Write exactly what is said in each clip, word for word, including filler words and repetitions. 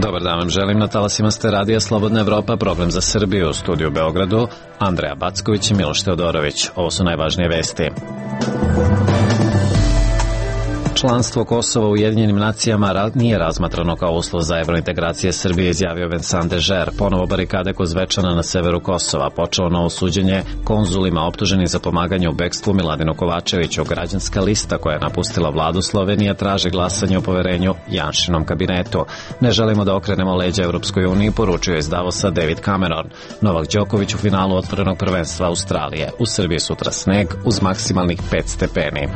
Dobar dan vam želim, na talasima ste radija Slobodna Evropa, program za Srbiju, u studiju u Beogradu, Andreja Backović i Miloš Teodorović. Ovo su najvažnije vesti. Članstvo Kosova u Ujedinjenim nacijama nije razmatrano kao uslov za evrointegracije Srbije, izjavio Vincent Dežer. Ponovo barikade kod Zvečana na severu Kosova. Počelo novo suđenje konzulima optuženih za pomaganje u bekstvu Miladinu Kovačeviću. Građanska lista koja je napustila vladu Slovenije traži glasanje o poverenju Janšinom kabinetu. Ne želimo da okrenemo leđa Evropskoj uniji, poručio je iz Davosa David Cameron. Novak Đoković u finalu otvorenog prvenstva Australije. U Srbiji sutra sneg uz maksimalnih pet stepeni.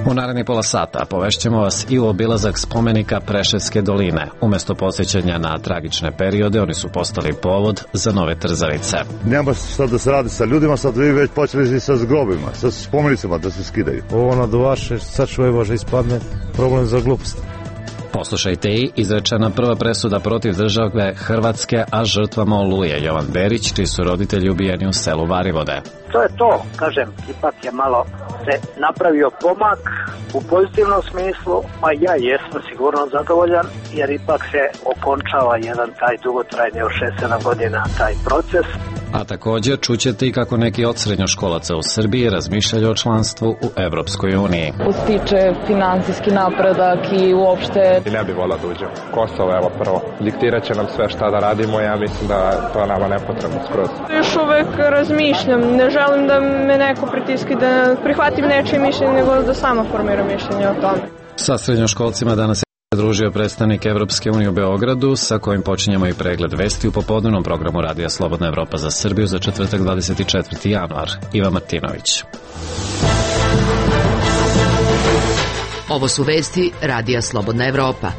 U naredni pola sata povešćemo vas i u obilazak spomenika Preševske doline. Umesto posjećanja na tragične periode, oni su postali povod za nove trzavice. Nema sad da se radi sa ljudima, sad vi već počeli sa zgrobima, sa spomenicama da se skidaju. Ovo na duvaše, sad čuje Bože ispadne problem za glupost. Poslušajte i izrečena prva presuda protiv države Hrvatske, a žrtvama Oluje. Jovan Berić, čiji su roditelji ubijeni u selu Varivode. To je to, kažem, ipak je malo se napravio pomak u pozitivnom smislu, a ja jesam sigurno zadovoljan, jer ipak se okončava jedan taj dugotrajni od šest sedam godina taj proces. A također čućete i kako neki od srednjoškolaca u Srbiji razmišljaju o članstvu u Evropskoj uniji. Utiče finansijski napredak i uopšte... I ne bi volao da uđem. Kosovo, evo prvo. Diktirat će nam sve šta da radimo, ja mislim da to nama nepotrebno skroz. Još uvek razmišljam, ne želim da me neko pritiski da prihvatim nečije mišljenje, nego da sama formiram mišljenje o tome. Sa srednjoškolcima danas je družio predstavnik Evropske unije u Beogradu, sa kojim počinjemo i pregled vesti u popodnevnom programu Radija Slobodna Evropa za Srbiju za četvrtak dvadeset četvrti januar. Iva Martinović. Ovo su vesti Radija Slobodna Evropa.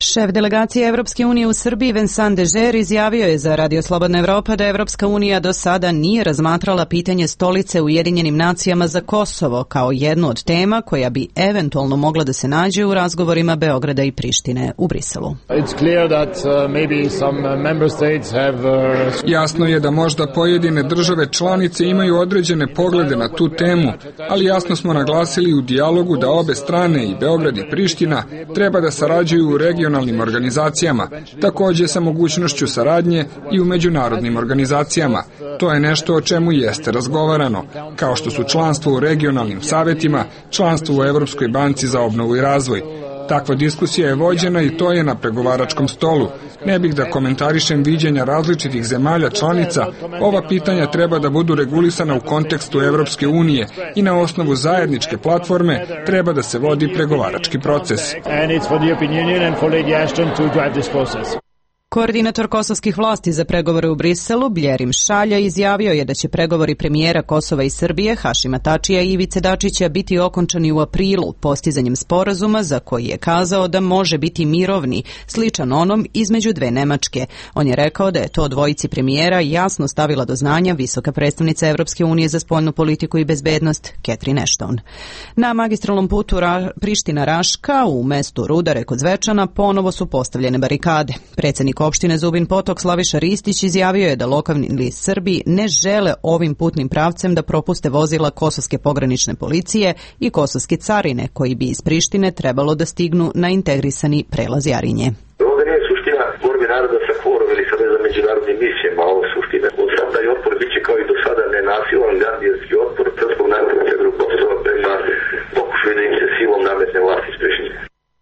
Šef delegacije Evropske unije u Srbiji Vincent Dežer izjavio je za Radio Slobodna Evropa da Evropska unija do sada nije razmatrala pitanje stolice u Ujedinjenim nacijama za Kosovo kao jednu od tema koja bi eventualno mogla da se nađe u razgovorima Beograda i Prištine u Briselu. Jasno je da možda pojedine države članice imaju određene poglede na tu temu, ali jasno smo naglasili u dijalogu da obe strane, i Beograd i Priština, treba da sarađuju u regionalnim organizacijama, također sa mogućnošću saradnje i u međunarodnim organizacijama. To je nešto o čemu jeste razgovarano, kao što su članstvo u regionalnim savetima, članstvo u Evropskoj banci za obnovu i razvoj. Takva diskusija je vođena i to je na pregovaračkom stolu. Ne bih da komentarišem viđenja različitih zemalja članica, ova pitanja treba da budu regulisana u kontekstu Evropske unije i na osnovu zajedničke platforme treba da se vodi pregovarački proces. Koordinator kosovskih vlasti za pregovore u Briselu, Bljerim Šalja, izjavio je da će pregovori premijera Kosova i Srbije, Hašima Tačija i Ivice Dačića biti okončani u aprilu postizanjem sporazuma za koji je kazao da može biti mirovni, sličan onom između dve Nemačke. On je rekao da je to dvojici premijera jasno stavila do znanja visoka predstavnica Evropske unije za spoljnu politiku i bezbednost, Catherine Ashton. Na magistralnom putu Ra- Priština-Raška u mestu Rudare kod Zvečana ponovo su postavljene barikade. Predsjednik opštine Zubin Potok Slaviša Ristić izjavio je da lokalni Srbi ne žele ovim putnim pravcem da propuste vozila kosovske pogranične policije i kosovske carine koji bi iz Prištine trebalo da stignu na integrisani prelaz Jarinje. Ovdje nije suština borbe naroda sa kvorom ili sa međunarodnim misijama, ovo suština. Sam taj otpor biće kao i do sada nenasilan gardijanski otpor srpskog naroda na severu Kosova prema pokušaju da im se silom nametne vlast iz Prištine.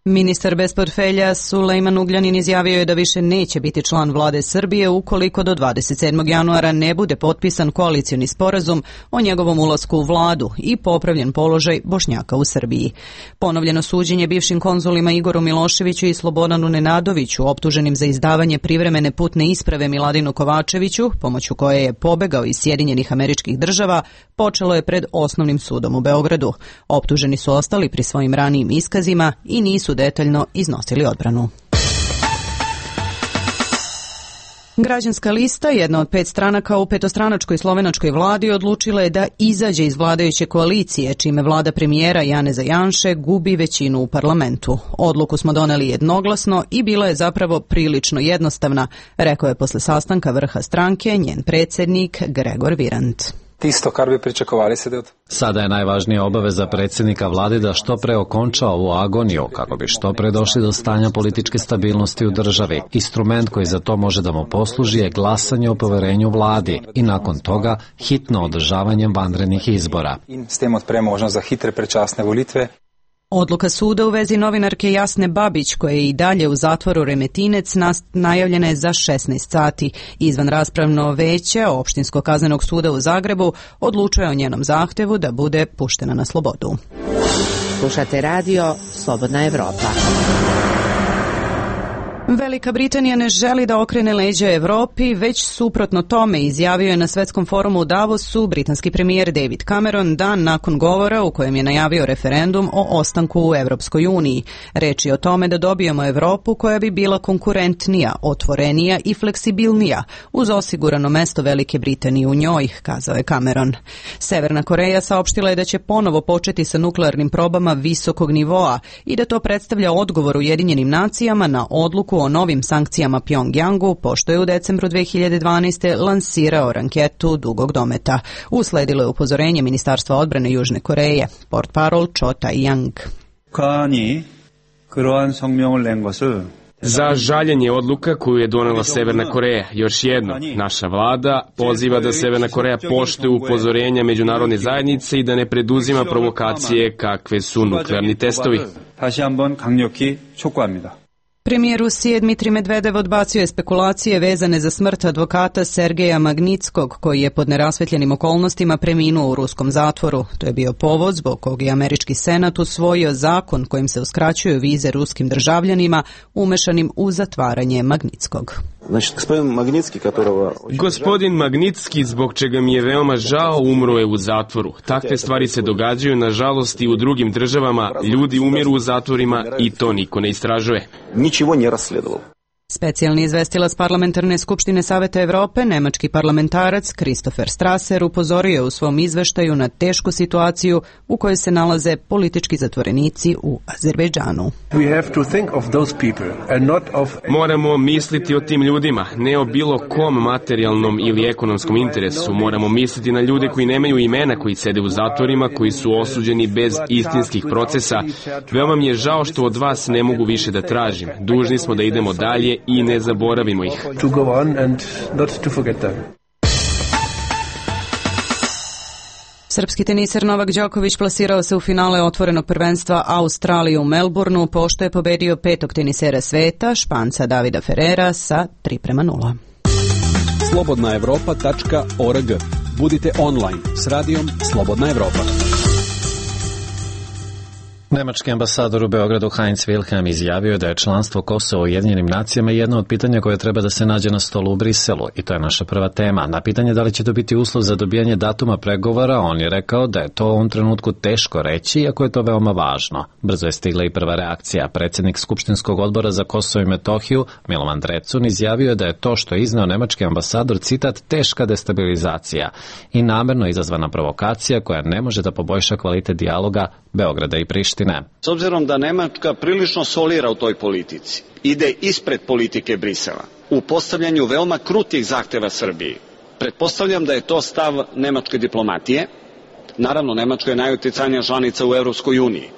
Ministar bez portfelja Sulejman Ugljanin izjavio je da više neće biti član vlade Srbije ukoliko do dvadeset sedmog januara ne bude potpisan koalicioni sporazum o njegovom ulasku u vladu i popravljen položaj Bošnjaka u Srbiji. Ponovljeno suđenje bivšim konzulima Igoru Miloševiću i Slobodanu Nenadoviću, optuženim za izdavanje privremene putne isprave Miladinu Kovačeviću, pomoću koje je pobegao iz Sjedinjenih Američkih Država, počelo je pred Osnovnim sudom u Beogradu. Optuženi su ostali pri svojim ranijim iskazima i nisu detaljno iznosili odbranu. Građanska lista, jedna od pet stranaka u petostranačkoj slovenačkoj vladi, odlučila je da izađe iz vladajuće koalicije, čime vlada premijera Janeza Janše gubi većinu u parlamentu. Odluku smo doneli jednoglasno i bila je zapravo prilično jednostavna, rekao je posle sastanka vrha stranke njen predsjednik Gregor Virant. Tisto, kar bi pričakovali sedaj. Sada je najvažnija obaveza predsjednika vlade da što pre okonča ovu agoniju, kako bi što pre došli do stanja političke stabilnosti u državi. Instrument koji za to može da mu posluži je glasanje o poverenju vladi i nakon toga hitno održavanje vanrednih izbora. In s tem odpre možnost za hitre predčasne volitve. Odluka suda u vezi novinarke Jasne Babić, koja je i dalje u zatvoru Remetinec, najavljena je za šesnaest sati. Izvan raspravno veće Opštinskog kaznenog suda u Zagrebu odlučuje o njenom zahtevu da bude puštena na slobodu. Slušate radio Slobodna Evropa. Velika Britanija ne želi da okrene leđa Evropi, već suprotno tome, izjavio je na svetskom forumu u Davosu britanski premijer David Cameron dan nakon govora u kojem je najavio referendum o ostanku u Evropskoj uniji. Reč je o tome da dobijemo Evropu koja bi bila konkurentnija, otvorenija i fleksibilnija, uz osigurano mesto Velike Britanije u njoj, kazao je Cameron. Severna Koreja saopštila je da će ponovo početi sa nuklearnim probama visokog nivoa i da to predstavlja odgovor Ujedinjenim nacijama na odluku o novim sankcijama Pjongjangu, pošto je u decembru dve hiljade dvanaeste. lansirao ranketu dugog dometa. Usledilo je upozorenje Ministarstva odbrane Južne Koreje. Portparol Cho Tae-yang. Za žaljenje odluka koju je donela Severna Koreja. Još jedno, naša vlada poziva da Severna Koreja poštuje upozorenja međunarodne zajednice i da ne preduzima provokacije kakve su nuklearni testovi. Premijer Rusije Dmitrij Medvedev odbacio je spekulacije vezane za smrt advokata Sergeja Magnitskog, koji je pod nerasvetljenim okolnostima preminuo u ruskom zatvoru. To je bio povod zbog kog je američki senat usvojio zakon kojim se uskraćuju vize ruskim državljanima umešanim u zatvaranje Magnitskog. Znači, gospodin Magnitski, которого... Gospodin Magnitski, zbog čega mi je veoma žao, umro je u zatvoru. Takve stvari se događaju, nažalost, i u drugim državama. Ljudi umiru u zatvorima i to niko ne istražuje. Ničego nije rasledovalo. Specijalni izvestilac Parlamentarne skupštine Saveta Evrope, nemački parlamentarac Christopher Strasser, upozorio je u svom izveštaju na tešku situaciju u kojoj se nalaze politički zatvorenici u Azerbejdžanu. Moramo misliti o tim ljudima, ne o bilo kom materijalnom ili ekonomskom interesu. Moramo misliti na ljude koji nemaju imena, koji sede u zatvorima, koji su osuđeni bez istinskih procesa. Veoma mi je žao što od vas ne mogu više da tražim. Dužni smo da idemo dalje i ne zaboravimo ih. Srpski teniser Novak Đoković plasirao se u finale otvorenog prvenstva Australije u Melbourneu, pošto je pobedio petog tenisera sveta, Španca Davida Ferrera, sa tri prema nula. slobodna evropa tačka org. Budite online s radijom Slobodna Evropa. Nemački ambasador u Beogradu Heinz Wilhelm izjavio da je članstvo Kosova u Ujedinjenim nacijama jedno od pitanja koje treba da se nađe na stolu u Briselu i to je naša prva tema. Na pitanje da li će to biti uslov za dobijanje datuma pregovora, on je rekao da je to u ovom trenutku teško reći, iako je to veoma važno. Brzo je stigla i prva reakcija. Predsjednik Skupštinskog odbora za Kosovo i Metohiju, Milovan Drecun, izjavio da je to što je izneo nemački ambasador, citat, teška destabilizacija i namerno izazvana provokacija koja ne može da poboljša kvalitet dijaloga Beograda i Prištine. S obzirom da Nemačka prilično solira u toj politici, ide ispred politike Brisela u postavljanju veoma krutih zahteva Srbiji. Pretpostavljam da je to stav nemačke diplomatije. Naravno, Nemačka je najuticajnija članica u Evropskoj uniji.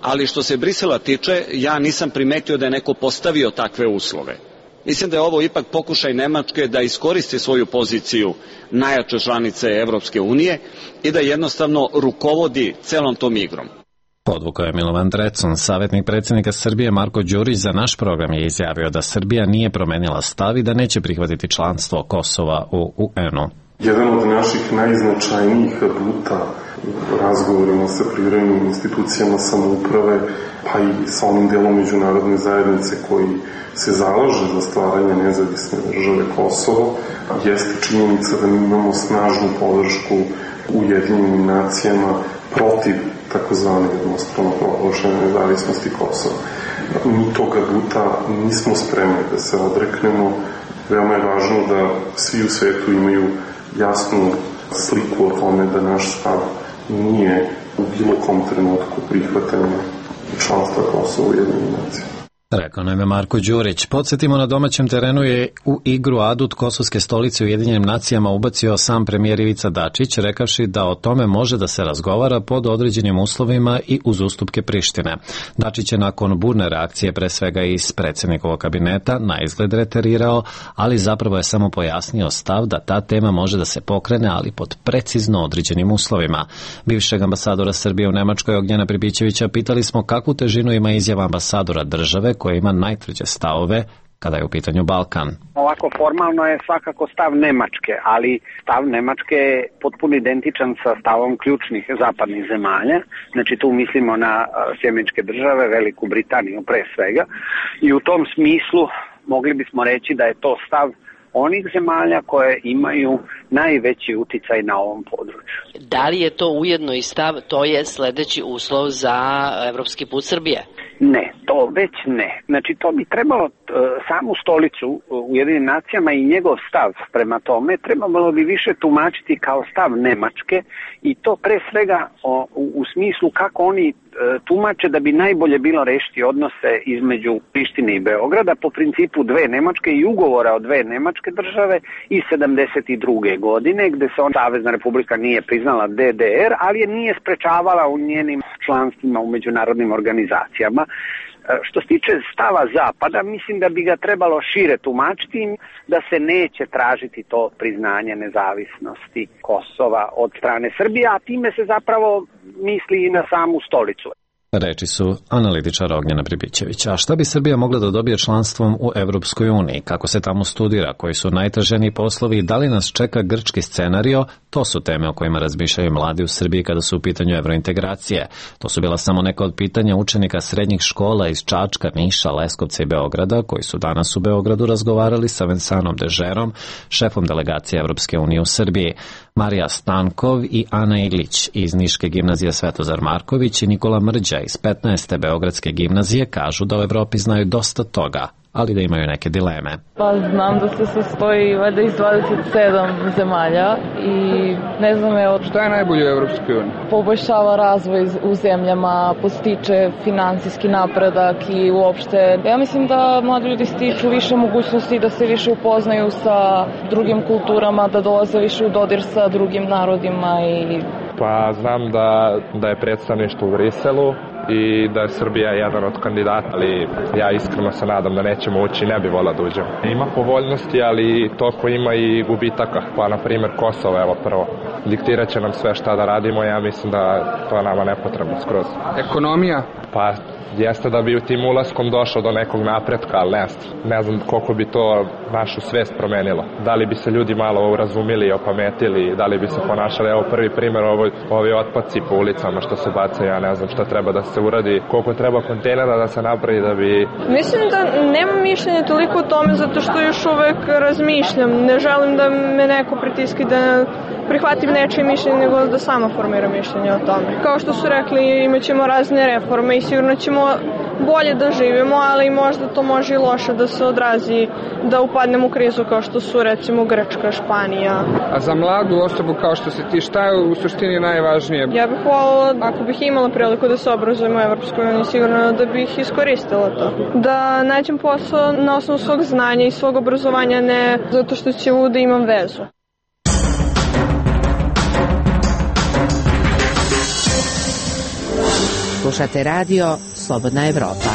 Ali što se Brisela tiče, ja nisam primetio da je neko postavio takve uslove. Mislim da je ovo ipak pokušaj Nemačke da iskoristi svoju poziciju najjače članice Evropske unije i da jednostavno rukovodi celom tom igrom. Podvukao je Milovan Drecun. Savjetnik predsjednika Srbije Marko Đurić za naš program je izjavio da Srbija nije promenila stav i da neće prihvatiti članstvo Kosova u U N-u. Jedan od naših najznačajnijih aduta u razgovorima sa privremenim institucijama samouprave, pa i sa onim delom međunarodne zajednice koji se zalaže za stvaranje nezavisne države Kosovo, jeste činjenica da mi imamo snažnu podršku u Ujedinjenim nacijama protiv takozvane jednostrano proglašene nezavisnosti Kosova. Mi tog aduta nismo spremni da se odreknemo. Veoma je važno da svi u svetu imaju jasnu sliku o tome da naš stav nije u bilo kom trenutku prihvatanja članstva Kosova u Ujedinjenim nacijama. Rekao nam je Marko Đurić. Podsjetimo, na domaćem terenu je u igru adut kosovske stolice u Ujedinjenim nacijama ubacio sam premijer Ivica Dačić, rekavši da o tome može da se razgovara pod određenim uslovima i uz ustupke Prištine. Dačić je nakon burne reakcije, pre svega iz predsjednikovog kabineta, na izgled reterirao, ali zapravo je samo pojasnio stav da ta tema može da se pokrene, ali pod precizno određenim uslovima. Bivšeg ambasadora Srbije u Nemačkoj Ognjena Pribićevića pitali smo kakvu težinu ima izjava ambasadora države koja ima najtvrđe stavove kada je u pitanju Balkan. Ovako formalno je svakako stav Nemačke, ali stav Nemačke je potpuno identičan sa stavom ključnih zapadnih zemalja. Znači tu mislimo na Sjedinjene Države, Veliku Britaniju pre svega, i u tom smislu mogli bismo reći da je to stav onih zemalja koje imaju najveći uticaj na ovom području. Da li je to ujedno i stav, to je sledeći uslov za evropski put Srbije? Ne, to već ne. Znači to bi trebalo t, samu stolicu u Ujedinjenim nacijama i njegov stav prema tome trebalo bi više tumačiti kao stav Nemačke, i to pre svega o, u, u smislu kako oni e, tumače da bi najbolje bilo rešiti odnose između Prištine i Beograda po principu dve Nemačke i ugovora o dve Nemačke države iz sedamdeset druge godine, gde se on Savezna Republika nije priznala D D R, ali je nije sprečavala u njenim članstvima u međunarodnim organizacijama. Što se tiče stava Zapada, mislim da bi ga trebalo šire tumačiti, da se neće tražiti to priznanje nezavisnosti Kosova od strane Srbije, a time se zapravo misli i na samu stolicu. Reči su analitičara Ognjena Pribićevića. A šta bi Srbija mogla da dobije članstvom u Evropskoj uniji? Kako se tamo studira? Koji su najtraženiji poslovi? I da li nas čeka grčki scenario? To su teme o kojima razmišljaju mladi u Srbiji kada su u pitanju evrointegracije. To su bila samo neka od pitanja učenika srednjih škola iz Čačka, Niša, Leskovca i Beograda, koji su danas u Beogradu razgovarali sa Vensanom Dežerom, šefom delegacije Evropske unije u Srbiji. Marija Stankov i Ana Iglić iz Niške gimnazije Svetozar Marković i Nikola Mrđa iz petnaeste Beogradske gimnazije kažu da u Evropi znaju dosta toga, ali da imaju neke dileme. Pa znam da se sastoji valjda iz dvadeset sedam zemalja i ne znam evo... Šta je najbolje u Evropskoj uniji? Poboljšava razvoj u zemljama, postiče finansijski napredak i uopšte... Ja mislim da mladi ljudi stiču više mogućnosti da se više upoznaju sa drugim kulturama, da dolaze više u dodir sa drugim narodima i... Pa znam da, da je predstavništvo u Briselu i da je Srbija jedan od kandidata, ali ja iskreno se nadam da nećemo ući, ne bi volao da uđemo. Ima povoljnosti, ali toliko ima i gubitaka, pa na primjer Kosovo, evo prvo, diktirat će nam sve šta da radimo, ja mislim da to je nama nepotrebno skroz. Ekonomija? Pa jeste da bi u tim ulaskom došao do nekog napretka, ali ne, ne znam koliko bi to našu svest promenilo. Da li bi se ljudi malo urazumili i opametili, da li bi se ponašali, evo prvi primjer, ovo, ovi otpaci po ulicama što se bacaju, ja ne znam šta treba da se uradi, koliko treba kontejnera da se napravi da bi... Mislim da nemam mišljenje toliko o tome zato što još uvek razmišljam. Ne želim da me neko pritiski da prihvatim nečije mišljenje, nego da sama formiram mišljenje o tome. Kao što su rekli, imat ćemo razne reforme i sigurno ćemo bolje da živimo, ali možda to može i loše da se odrazi, da upadnemo u krizu kao što su recimo Grčka, Španija. A za mladu osobu kao što si ti, šta je u suštini najvažnije? Ja bih voljela, ako bih imala priliku da se obrazujem u Evropskoj uniji, sigurno da bih iskoristila to. Da nađem posao na osnovu svog znanja i svog obrazovanja, ne zato što ću da imam vezu. Slušate radio Slobodna Evropa.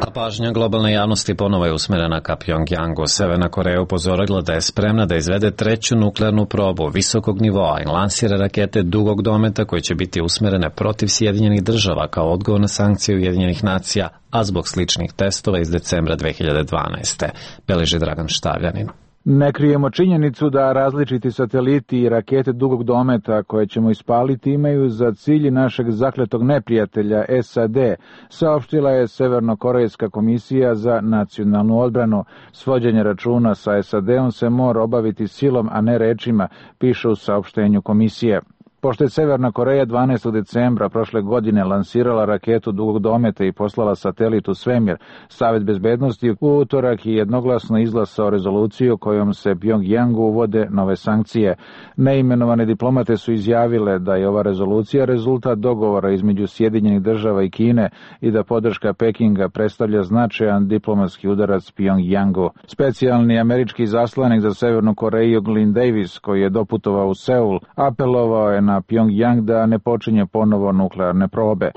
A pažnja globalne javnosti ponovo je usmerena ka Pjongjangu. Severna Koreja upozorila da je spremna da izvede treću nuklearnu probu visokog nivoa i lansira rakete dugog dometa koje će biti usmerene protiv Sjedinjenih država kao odgovor na sankcije Ujedinjenih nacija, a zbog sličnih testova iz decembra dve hiljade dvanaeste. Beleži Dragan Štavljanin. Ne krijemo činjenicu da različiti sateliti i rakete dugog dometa koje ćemo ispaliti imaju za cilj našeg zakletog neprijatelja S A D, saopštila je Severnokorejska komisija za nacionalnu odbranu. Svođenje računa sa S A D-om se mora obaviti silom, a ne rečima, piše u saopštenju komisije. Pošto je Severna Koreja dvanaestog decembra prošle godine lansirala raketu dugog dometa i poslala satelit u svemir, Savet bezbednosti u utorak je jednoglasno izglasao rezoluciju kojom se Pjongjangu uvode nove sankcije. Neimenovane diplomate su izjavile da je ova rezolucija rezultat dogovora između Sjedinjenih država i Kine i da podrška Pekinga predstavlja značajan diplomatski udarac Pjongjangu. Specijalni američki zaslanik za Severnu Koreju Glyn Davis, koji je doputovao u Seul, apelovao je na Pjongjang da ne počinje ponovo nuklearne probe.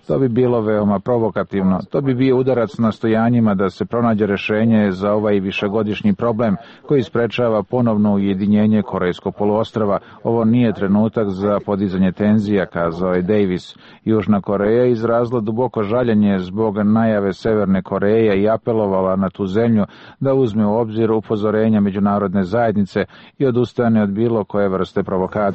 To bi bilo veoma provokativno. To bi bio udarac nastojanjima da se pronađe rešenje za ovaj višegodišnji problem koji sprečava ponovno ujedinjenje Korejskog poluostrva. Ovo nije trenutak za podizanje tenzija, kazao je Davis. Južna Koreja izrazila duboko žaljenje zbog najave Severne Koreje i apelovala na tu zemlju da uzme u obzir upozorenja međunarodne zajednice i odustane od bilo koje vrste provokacija.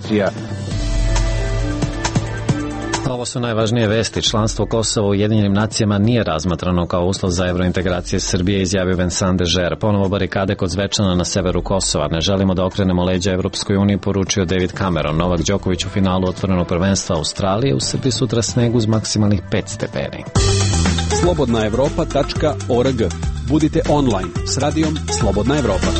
Ovo su najvažnije vesti. Članstvo Kosova u Ujedinjenim nacijama nije razmatrano kao uslov za evrointegracije Srbije, izjavio Vincent de Geer. Ponovo barikade kod Zvečana na severu Kosova. Ne želimo da okrenemo leđa Evropskoj uniji, poručio David Cameron. Novak Đoković u finalu otvorenog prvenstva Australije. U Srbiji sutra sneg uz maksimalnih pet stepeni. slobodna evropa tačka org. Budite online s radijom Slobodna Evropa.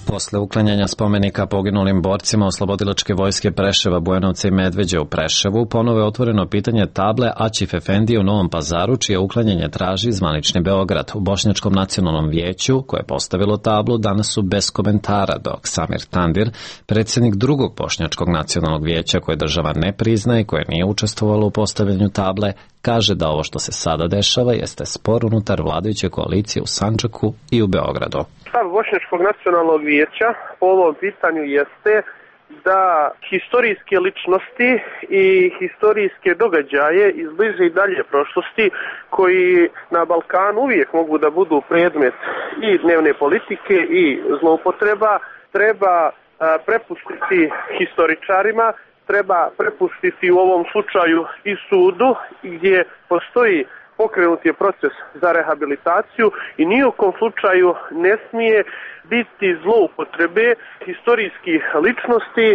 Posle uklanjanja spomenika poginulim borcima Oslobodilačke vojske Preševa, Bujanovca i Medveđe u Preševu, ponovo je otvoreno pitanje table Aćif Efendije u Novom Pazaru, čije uklanjanje traži zvanični Beograd. U Bošnjačkom nacionalnom vijeću, koje je postavilo tablu, danas su bez komentara, dok Samir Tandir, predsjednik drugog Bošnjačkog nacionalnog vijeća koje država ne priznaje i koje nije učestvovalo u postavljanju table, kaže da ovo što se sada dešava jeste spor unutar vladajuće koalicije u Sandžaku i u Beogradu. Stav Bošnjačkog nacionalnog vijeća po ovom pitanju jeste da historijske ličnosti i historijske događaje iz bliže i dalje prošlosti koji na Balkanu uvijek mogu da budu predmet i dnevne politike i zloupotreba treba prepustiti historičarima, treba prepustiti u ovom slučaju i sudu gdje postoji pokrenut je proces za rehabilitaciju i ni u kom slučaju ne smije biti zloupotrebe historijskih ličnosti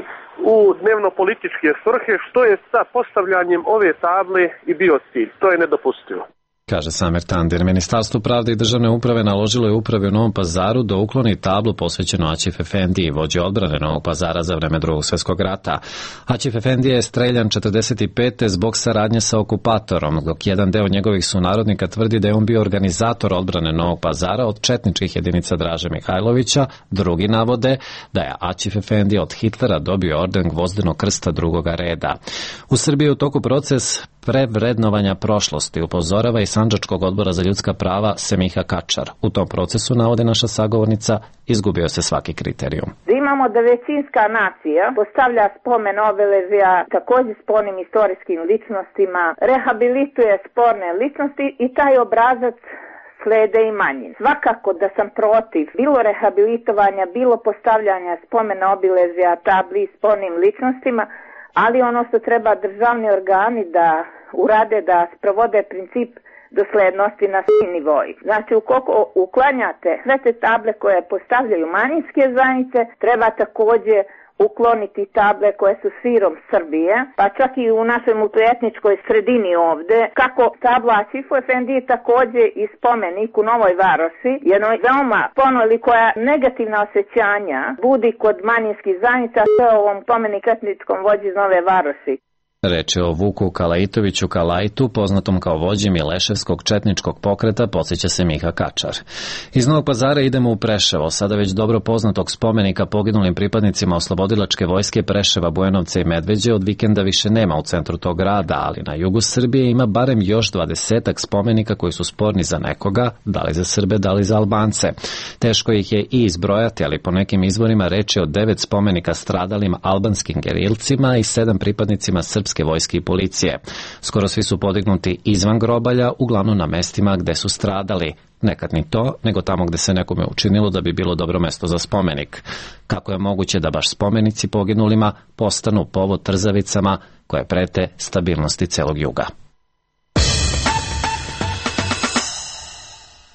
u dnevno-političke svrhe, što je sa postavljanjem ove table i bio cilj. To je nedopustivo, kaže Samir Tandir. Ministarstvo pravde i državne uprave naložilo je upravi u Novom Pazaru da ukloni tablu posvećenu Aćif Efendiji, vođi odbrane Novog Pazara za vreme Drugog svjetskog rata. Aćif Efendija je streljan četrdeset pete zbog saradnje sa okupatorom, dok jedan deo njegovih sunarodnika tvrdi da je on bio organizator odbrane Novog Pazara od četničkih jedinica Draže Mihajlovića. Drugi navode da je Aćif Efendija od Hitlera dobio orden Gvozdenog krsta drugoga reda. U Srbiji je u toku proces prevrednovanja prošlosti, upozorava i Sandžačkog odbora za ljudska prava Semiha Kačar. U tom procesu, navode naša sagovornica, izgubio se svaki kriterijum. Imamo da većinska nacija postavlja spomen obeležja također spornim istorijskim ličnostima, rehabilituje sporne ličnosti i taj obrazac slede i manjin. Svakako da sam protiv bilo rehabilitovanja, bilo postavljanja spomen obeležja tabli spornim ličnostima, ali ono što treba državni organi da urade, da sprovode princip doslednosti na svim nivoji. Znači, ukoliko uklanjate sve te table koje postavljaju manjinske zajednice, treba također ukloniti table koje su širom Srbije, pa čak i u našoj multietničkoj sredini ovde, kako tabla Aćifu Efendiji također i spomenik u Novoj Varoši, jednoj veoma ponoli koja negativna osjećanja budi kod manjinskih zajednica, sve ovom spomenik etničkom vođi iz Nove Varoši. Reč je o Vuku Kalajtoviću Kalajtu, poznatom kao vođi Mileševskog četničkog pokreta, podsjeća se Miha Kačar. Iz Novog Pazara idemo u Preševo, sada već dobro poznatog spomenika poginulim pripadnicima Oslobodilačke vojske Preševa, Bujanovca i Medveđe od vikenda više nema u centru tog grada, ali na jugu Srbije ima barem još dvadesetak spomenika koji su sporni za nekoga, da li za Srbe, da li za Albance. Teško ih je i izbrojati, ali po nekim izvorima reč je o devet spomenika stradalim albanskim gerilcima i sedam pripadnicima srpske vojske i policije. Skoro svi su podignuti izvan grobalja, uglavnom na mestima gde su stradali. Nekad ni to, nego tamo gde se nekome učinilo da bi bilo dobro mesto za spomenik. Kako je moguće da baš spomenici poginulima postanu povod trzavicama koje prete stabilnosti celog juga?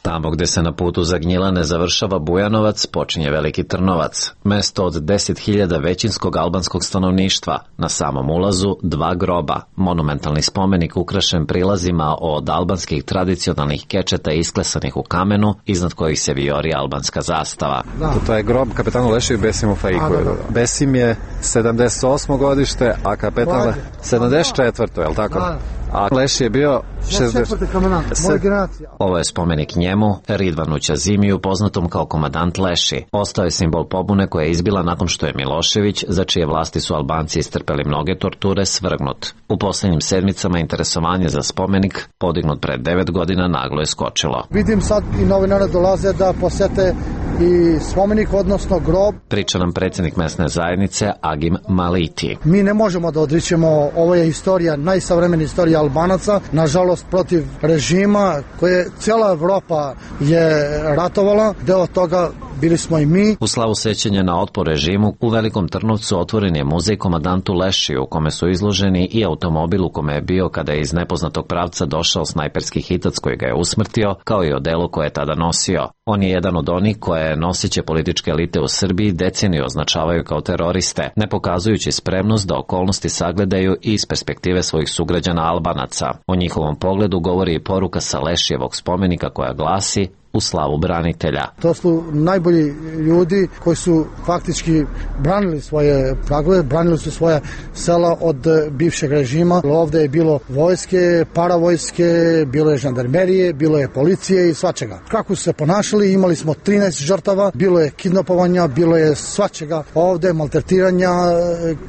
Tamo gde se na putu za Gnjilane završava Bujanovac, počinje Veliki Trnovac, mesto od deset hiljada većinskog albanskog stanovništva. Na samom ulazu dva groba, monumentalni spomenik ukrašen prilazima od albanskih tradicionalnih kečeta isklesanih u kamenu, iznad kojih se vijori albanska zastava. Da. To je grob kapetanu Lešiju Besimu Faiku. Da, da, da. Besim je sedamdeset osmo godište, a kapetan sedamdeset četvrto, je li tako? Da. A Leši je bio šezdeset četvrti. Ovo je spomenik njemu, Ridvanu Ćazimiju, poznatom kao komandant Leši. Ostao je simbol pobune koja je izbila nakon što je Milošević, za čije vlasti su Albanci istrpeli mnoge torture, svrgnut. U posljednjim sedmicama interesovanje za spomenik, podignut pred devet godina, naglo je skočilo. Vidim sad i novinare dolaze da posete i spomenik, odnosno grob. Priča nam predsjednik mesne zajednice Agim Maliti. Mi ne možemo da odričemo, ovo je istorija, najsavremena istorija Albanaca, nažalost protiv režima koje cijela Evropa je ratovala, deo toga bili smo i mi. U slavu sećanja na otpor režimu, u Velikom Trnovcu otvoren je muzej komandantu Lešiju, u kome su izloženi i automobil u kome je bio kada je iz nepoznatog pravca došao snajperski hitac koji ga je usmrtio, kao i odelo koje je tada nosio. On je jedan od onih koje noseće političke elite u Srbiji deceniju označavaju kao teroriste, ne pokazujući spremnost da okolnosti sagledaju i iz perspektive svojih sugrađana Albanaca. O njihovom pogledu govori i poruka sa Lešijevog spomenika koja glasi: u slavu branitelja. To su najbolji ljudi koji su faktički branili svoje pragove, branili su svoja sela od bivšeg režima. Ovde je bilo vojske, paravojske, bilo je žandarmerije, bilo je policije i svačega. Kako su se ponašali, imali smo trinaest žrtava, bilo je kidnapovanja, bilo je svačega ovde, maltretiranja,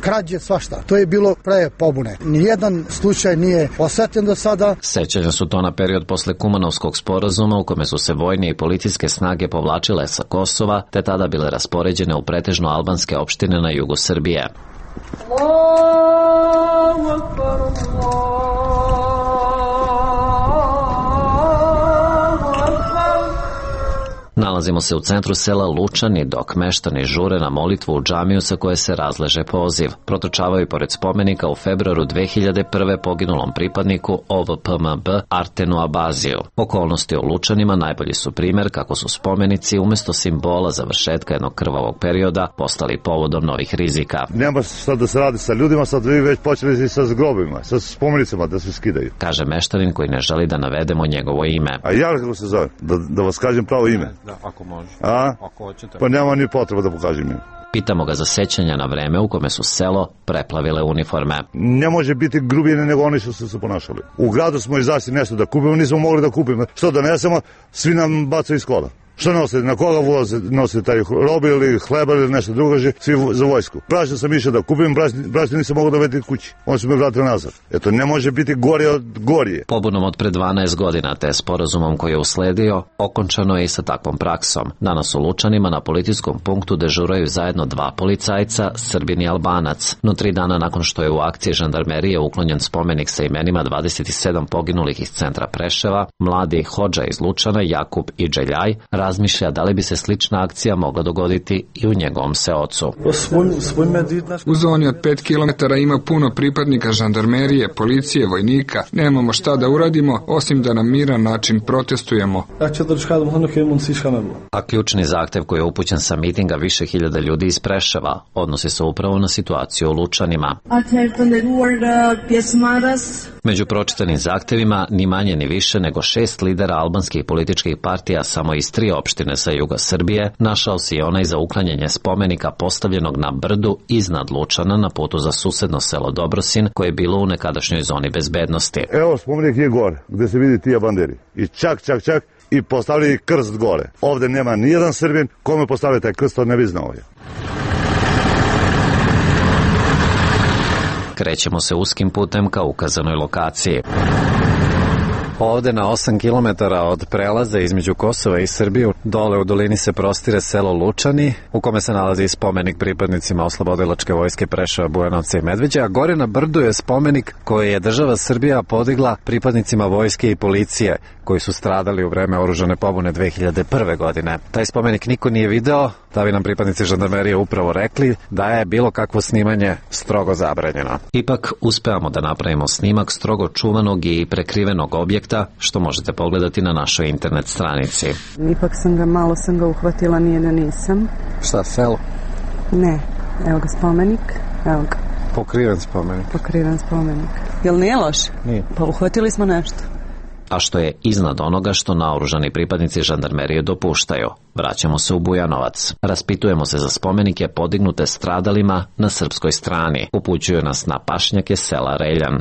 krađe, svašta. To je bilo pre pobune. Nijedan slučaj nije osvetljen do sada. Sećanja su to na period posle Kumanovskog sporazuma u kome su se vojni i policijske snage povlačile sa Kosova, te tada bile raspoređene u pretežno albanske opštine na jugu Srbije. Allahu akbar, Nalazimo se u centru sela Lučani, dok meštani žure na molitvu u džamiju sa koje se razleže poziv. Protrčavaju pored spomenika u februaru dve hiljade prve poginulom pripadniku O V P M B Artenu Abaziju. Okolnosti u Lučanima najbolji su primer kako su spomenici umjesto simbola završetka jednog krvavog perioda postali povodom novih rizika. Nema sad da se radi sa ljudima, sad vi već počeli sa grobima, sa spomenicama da se skidaju. Kaže meštanin koji ne želi da navedemo njegovo ime. A ja kako se zove? Da, da vas kažem pravo ime? Da, ako može. A? Ako hoćete. Pa nema ni potreba da pokažem ime. Pitamo ga za sećanja na vreme u kome su selo preplavile uniforme. Ne može biti grubije nego oni što su se ponašali. U gradu smo izašli nešto da kupimo, nismo mogli da kupimo. Što donesemo, svi nam bacaju iz kola. Što nosite, na koga voze, nosite taj robi ili hleba ili nešto drugo, svi za vojsku. Brašno sam išao da kupim, brašno nisam mogao da vedem kući. Oni su me vratili nazad. Eto, ne može biti gore od gorije. Pobunom od pre dvanaest godina te sporazumom koji je usledio, okončano je i sa takvom praksom. Danas u Lučanima na policijskom punktu dežuraju zajedno dva policajca, Srbin i Albanac. No tri dana nakon što je u akciji žandarmerije uklonjen spomenik sa imenima dvadeset sedam poginulih iz centra Preševa, mladi hodža iz Lučana, Jakub i Dželjaj, razmišlja da li bi se slična akcija mogla dogoditi i u njegovom seocu. U zoni od pet kilometara ima puno pripadnika žandarmerije, policije, vojnika. Nemamo šta da uradimo, osim da na miran način protestujemo. A ključni zahtev koji je upućen sa mitinga više hiljada ljudi iz Preševa odnosi se upravo na situaciju u Lučanima. Među pročitanim zahtevima ni manje ni više nego šest lidera albanskih političkih partija samo iz tri opštine sa juga Srbije našao se i onaj za uklanjanje spomenika postavljenog na brdu iznad Lučana na putu za susedno selo Dobrosin koje je bilo u nekadašnjoj zoni bezbednosti. Evo spomenik je gore gde se vidi tija banderi i čak čak čak i postavili krst gore. Ovde nema nijedan Srbin kome postavili taj krst, to ne bi znao je. Krećemo se uskim putem ka ukazanoj lokaciji. Ovde na osam kilometara od prelaza između Kosova i Srbije, dole u dolini se prostire selo Lučani, u kome se nalazi spomenik pripadnicima oslobodilačke vojske Preševa, Bujanovca i Medveđe, a gore na brdu je spomenik koji je država Srbija podigla pripadnicima vojske i policije, koji su stradali u vreme oružane pobune dve hiljade prve. godine. Taj spomenik niko nije video, da bi nam pripadnici žandarmerije upravo rekli da je bilo kakvo snimanje strogo zabranjeno. Ipak uspevamo da napravimo snimak strogo čuvanog i prekrivenog objekta, što možete pogledati na našoj internet stranici. Ipak sam ga, malo sam ga uhvatila, nije da nisam. Šta, selo? Ne, evo ga spomenik, evo ga. Pokriven spomenik. Pokriven spomenik. Jel nije loš? Nije. Pa uhvatili smo nešto. A što je iznad onoga što naoružani pripadnici žandarmerije dopuštaju. Vraćamo se u Bujanovac. Raspitujemo se za spomenike podignute stradalima na srpskoj strani. Upućuju nas na pašnjake sela Reljan.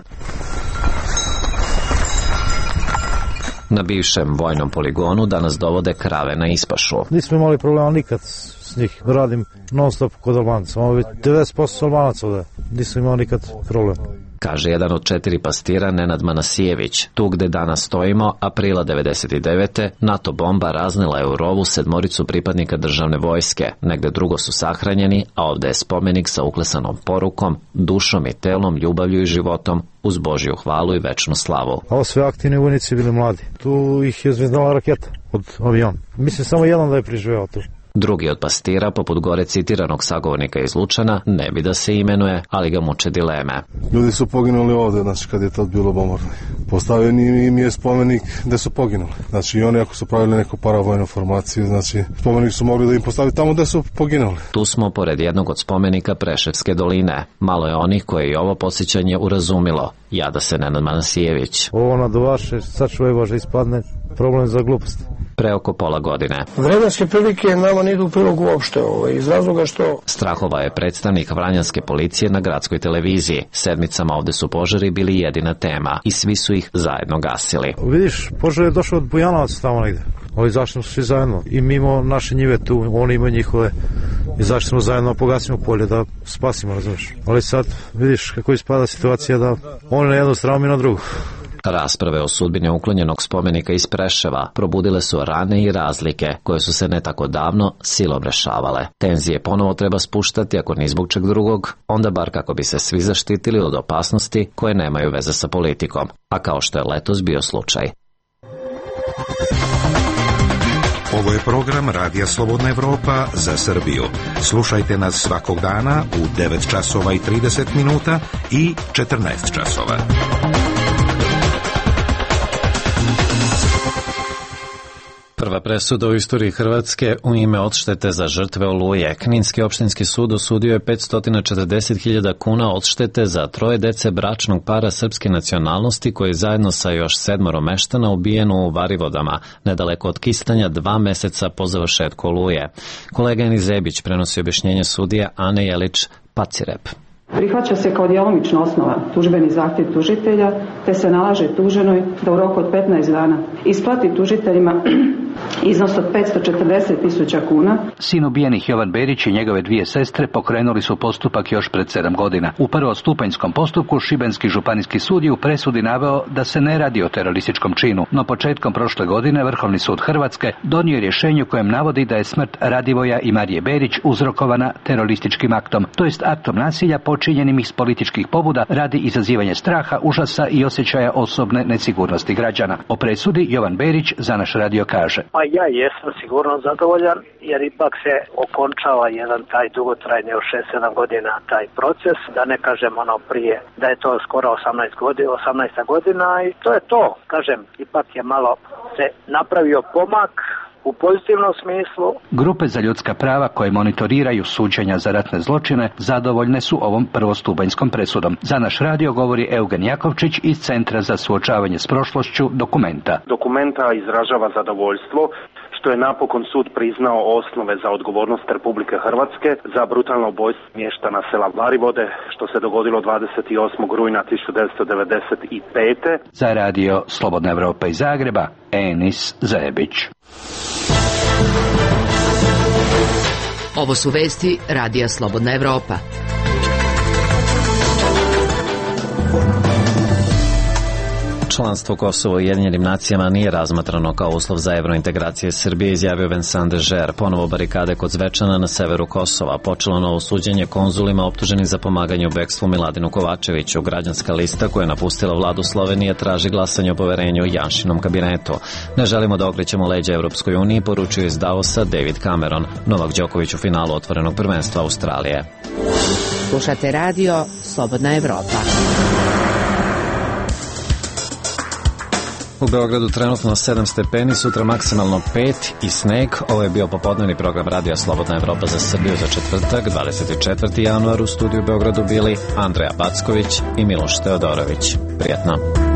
Na bivšem vojnom poligonu danas dovode krave na ispašu. Nismo imali problema nikad s njih. Radim non stop kod Albanaca. Ovo je devedeset posto Albanaca ovde. Nismo imali nikad problem. Kaže jedan od četiri pastira Nenad Manasijević. Tu gde danas stojimo, aprila devedeset devete. NATO bomba raznila je u rovu sedmoricu pripadnika državne vojske. Negde drugo su sahranjeni, a ovde je spomenik sa uklesanom porukom, dušom i telom, ljubavlju i životom, uz Božju hvalu i večnu slavu. Ovo sve aktivni vojnici bili mladi. Tu ih je zvezdala raketa od aviona. Mislim samo jedan da je priživeo tu. Drugi od pastira, poput gore citiranog sagovornika iz Lučana, ne bi da se imenuje, ali ga muče dileme. Ljudi su poginuli ovde, znači kad je tad bilo bombardovanje. Postavljen im je spomenik gde su poginuli. Znači i oni ako su pravili neku paravojnu formaciju, znači spomenik su mogli da im postavi tamo gde su poginuli. Tu smo pored jednog od spomenika Preševske doline. Malo je onih koje i ovo podsjećanje urazumilo. Jada se Nenad Manasijević. Ovo na do vaše, sačuvaj Bože, ispadne problem za glupost. Pre oko pola godine. Vremenske prilike nama ne idu u prilog uopšte, ovaj, iz razloga što... Strahova je predstavnik vranjanske policije na gradskoj televiziji. Sedmicama ovde su požari bili jedina tema i svi su ih zajedno gasili. Vidiš, požar je došao od Bujanovaca tamo negde. Ovi zašli smo svi zajedno i mimo naše njive tu, oni imaju njihove i zašli smo zajedno, pogasimo polje da spasimo, razumiješ. Ali sad vidiš kako ispada situacija da oni na jednu stranu, mi na drugu. Rasprave o sudbini uklonjenog spomenika iz Preševa probudile su rane i razlike koje su se ne tako davno silom rešavale. Tenzije ponovo treba spuštati, ako ni zbog čeg drugog, onda bar kako bi se svi zaštitili od opasnosti koje nemaju veze sa politikom, a kao što je letos bio slučaj. Ovo je program Radija Slobodna Evropa za Srbiju. Slušajte nas svakog dana u devet časova i trideset minuta i četrnaest časova. Prva presuda u istoriji Hrvatske u ime odštete za žrtve Oluje. Kninski opštinski sud osudio je petsto četrdeset hiljada kuna odštete za troje dece bračnog para srpske nacionalnosti koji zajedno sa još sedmoro meštana ubijeno u Varivodama, nedaleko od Kistanja, dva meseca po završetku Oluje. Kolega Eni Zebić prenosi objašnjenje sudije Ane Jelić-Pacirep. Prihvaća se kao djelomično osnova tužbeni zahtjev tužitelja, te se nalaže tuženoj da u roku od petnaest dana isplati tužiteljima iznos od petsto četrdeset tisuća kuna. Sin ubijenih Jovan Berić i njegove dvije sestre pokrenuli su postupak još pred sedam godina. U prvostupanjskom postupku Šibenski županijski sud je u presudi naveo da se ne radi o terorističkom činu, no početkom prošle godine Vrhovni sud Hrvatske donio je rješenje u kojem navodi da je smrt Radivoja i Marije Berić uzrokovana terorističkim aktom, to jest aktom nasilja počinjenim iz političkih pobuda radi izazivanja straha, užasa i osjećaja osobne nesigurnosti građana. O presudi Jovan Berić za naš radio kaže: Pa ja jesam sigurno zadovoljan, jer ipak se okončava jedan taj dugotrajni od šest sedam godina taj proces, da ne kažem ono prije da je to skoro osamnaest godina, osamnaesta godina i to je to. Kažem, ipak je malo se napravio pomak u pozitivnom smislu. Grupe za ljudska prava koje monitoriraju suđenja za ratne zločine zadovoljne su ovom prvostupanjskom presudom. Za naš radio govori Eugen Jakovčić iz Centra za suočavanje s prošlošću Dokumenta. Dokumenta izražava zadovoljstvo što je napokon sud priznao osnove za odgovornost Republike Hrvatske za brutalno ubojstvo mještana sela Varivode, što se dogodilo dvadeset osmog rujna tisuću devetsto devedeset pete. Za radio Slobodna Evropa iz Zagreba, Enis Zebić. Ovo su vesti Radija Slobodna Evropa. Članstvo Kosova u Ujedinjenim nacijama nije razmatrano kao uslov za evrointegracije Srbije, izjavio Vincent de Geer. Ponovo barikade kod Zvečana na severu Kosova. Počelo novo suđenje konzulima optuženih za pomaganje u bekstvu Miladinu Kovačeviću. Građanska lista koja je napustila vladu Slovenije traži glasanje o poverenju u Janšinom kabinetu. Ne želimo da okrećemo leđa Evropskoj uniji, poručuje iz Davosa David Cameron. Novak Đoković u finalu otvorenog prvenstva Australije. Slušate radio Slobodna Evropa. U Beogradu trenutno sedam stepeni, sutra maksimalno pet i sneg. Ovo je bio popodnevni program Radija Slobodna Evropa za Srbiju za četvrtak, dvadeset četvrti januar. U studiju u Beogradu bili Andreja Backović i Miloš Teodorović. Prijetno.